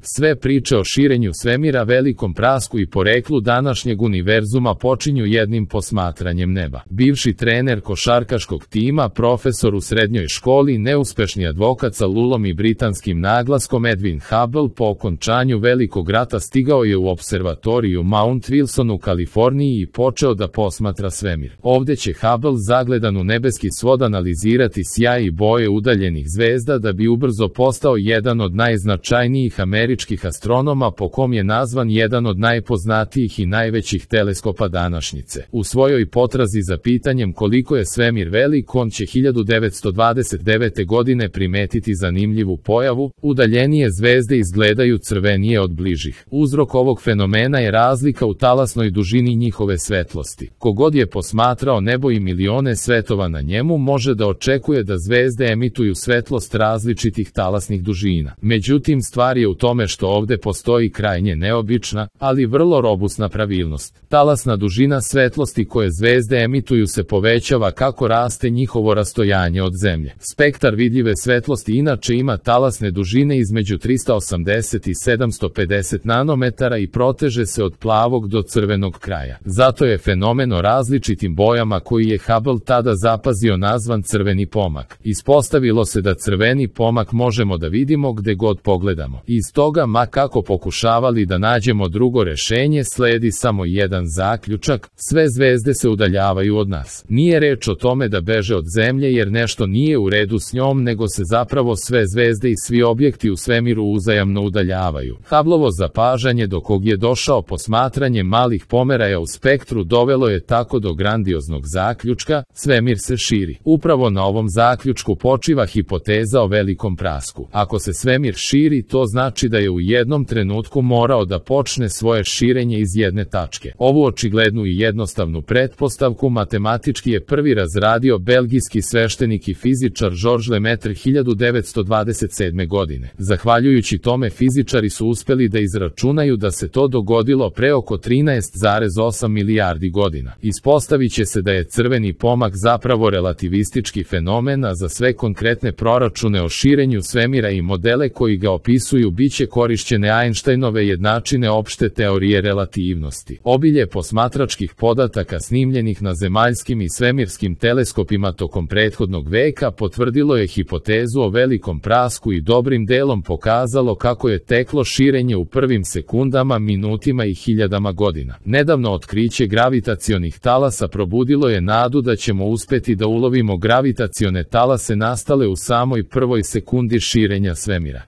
Sve priče o širenju svemira, velikom prasku i poreklu današnjeg univerzuma počinju jednim posmatranjem neba. Bivši trener košarkaškog tima, profesor u srednjoj školi, neuspešni advokat sa lulom i britanskim naglaskom Edwin Hubble po okončanju Velikog rata stigao je u observatoriju Mount Wilson u Kaliforniji i počeo da posmatra svemir. Ovde će Hubble zagledan u nebeski svod analizirati sjaj i boje udaljenih zvezda da bi ubrzo postao jedan od najznačajnijih američkih astronoma, po kom je nazvan jedan od najpoznatijih i najvećih teleskopa današnjice. U svojoj potrazi za pitanjem koliko je svemir velik, on će 1929. godine primetiti zanimljivu pojavu: udaljenije zvezde izgledaju crvenije od bližih. Uzrok ovog fenomena je razlika u talasnoj dužini njihove svetlosti. Kogod je posmatrao nebo i milione svetova na njemu može da očekuje da zvezde emituju svetlost različitih talasnih dužina. Međutim, stvar je u tome što ovde postoji krajnje neobična, ali vrlo robusna pravilnost. Talasna dužina svetlosti koje zvezde emituju se povećava kako raste njihovo rastojanje od Zemlje. Spektar vidljive svetlosti inače ima talasne dužine između 380 i 750 nanometara i proteže se od plavog do crvenog kraja. Zato je fenomen o različitim bojama koji je Hubble tada zapazio nazvan crveni pomak. Ispostavilo se da crveni pomak možemo da vidimo gde god pogledamo. Iz toga, ma kako pokušavali da nađemo drugo rešenje, sledi samo jedan zaključak: sve zvezde se udaljavaju od nas. Nije reč o tome da beže od Zemlje jer nešto nije u redu s njom, nego se zapravo sve zvezde i svi objekti u svemiru uzajamno udaljavaju. Hubbleovo zapažanje, do kog je došao posmatranjem malih pomeraja u spektru, dovelo je tako do grandioznog zaključka: svemir se širi. Upravo na ovom zaključku počiva hipoteza o velikom prasku. Ako se svemir širi, to znači da je u jednom trenutku morao da počne svoje širenje iz jedne tačke. Ovu očiglednu i jednostavnu pretpostavku matematički je prvi razradio belgijski sveštenik i fizičar Georges Lemaitre 1927. godine. Zahvaljujući tome, fizičari su uspeli da izračunaju da se to dogodilo pre oko 13,8 milijardi godina. Ispostavit će se da je crveni pomak zapravo relativistički fenomen, a za sve konkretne proračune o širenju svemira i modele koji ga opisuju biće korišćene Einsteinove jednačine opšte teorije relativnosti. Obilje posmatračkih podataka snimljenih na zemaljskim i svemirskim teleskopima tokom prethodnog veka potvrdilo je hipotezu o velikom prasku i dobrim delom pokazalo kako je teklo širenje u prvim sekundama, minutima i hiljadama godina. Nedavno otkriće gravitacionih talasa probudilo je nadu da ćemo uspeti da ulovimo gravitacione talase nastale u samoj prvoj sekundi širenja svemira.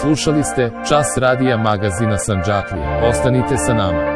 Slušali ste Čas radija magazina Sandžaklija. Ostanite sa nama.